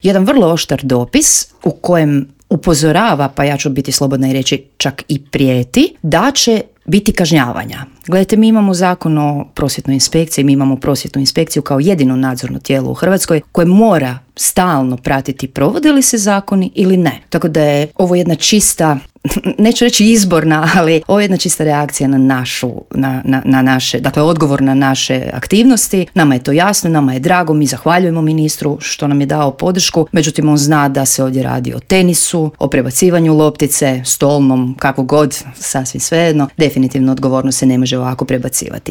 jedan vrlo oštar dopis u kojem upozorava, pa ja ću biti slobodna i reći čak i prijeti, da će biti kažnjavanja. Gledajte, mi imamo zakon o prosvjetnoj inspekciji, mi imamo prosvjetnu inspekciju kao jedino nadzorno tijelo u Hrvatskoj koje mora stalno pratiti provode li se zakoni ili ne. Tako da je ovo jedna čista, neću reći izborna, ali ovo je jedna čista reakcija na naše, dakle odgovor na naše aktivnosti. Nama je to jasno, nama je drago, mi zahvaljujemo ministru što nam je dao podršku, međutim on zna da se ovdje radi o tenisu, o prebacivanju loptice, stolnom, kako god, sasvim svejedno. Definitivno odgovornost se ne može ovako prebacivati.